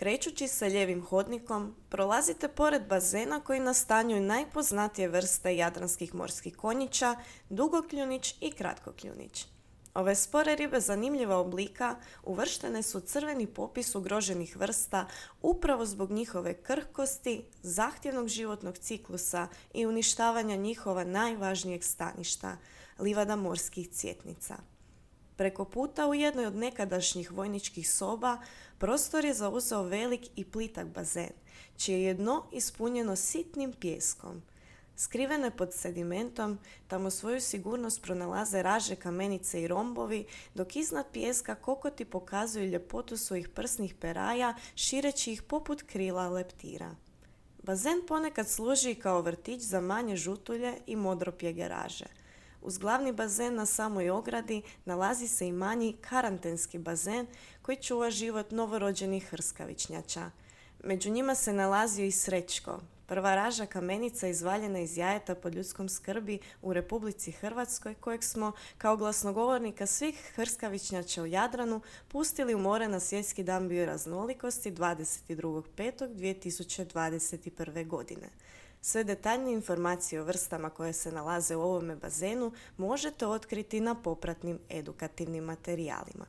Krećući se lijevim hodnikom, prolazite pored bazena koji nastanjuju najpoznatije vrste jadranskih morskih konjića, dugokljunić i kratkokljunić. Ove spore ribe zanimljiva oblika uvrštene su u crveni popis ugroženih vrsta upravo zbog njihove krhkosti, zahtjevnog životnog ciklusa i uništavanja njihova najvažnijeg staništa, livada morskih cjetnica. Preko puta u jednoj od nekadašnjih vojničkih soba prostor je zauzeo velik i plitak bazen, čije je dno ispunjeno sitnim pijeskom. Skrivene pod sedimentom, tamo svoju sigurnost pronalaze raže, kamenice i rombovi, dok iznad pijeska kokoti pokazuju ljepotu svojih prsnih peraja, šireći ih poput krila leptira. Bazen ponekad služi kao vrtić za manje žutulje i modropjege raže. Uz glavni bazen na samoj ogradi nalazi se i manji karantenski bazen koji čuva život novorođenih hrskavičnjača. Među njima se nalazio i srećko, prva raža kamenica izvaljena iz jajeta pod ljudskom skrbi u Republici Hrvatskoj, kojeg smo, kao glasnogovornika svih hrskavičnjača u Jadranu, pustili u more na Svjetski dan bioraznolikosti 22.5.2021. godine. Sve detaljnije informacije o vrstama koje se nalaze u ovome bazenu možete otkriti na popratnim edukativnim materijalima.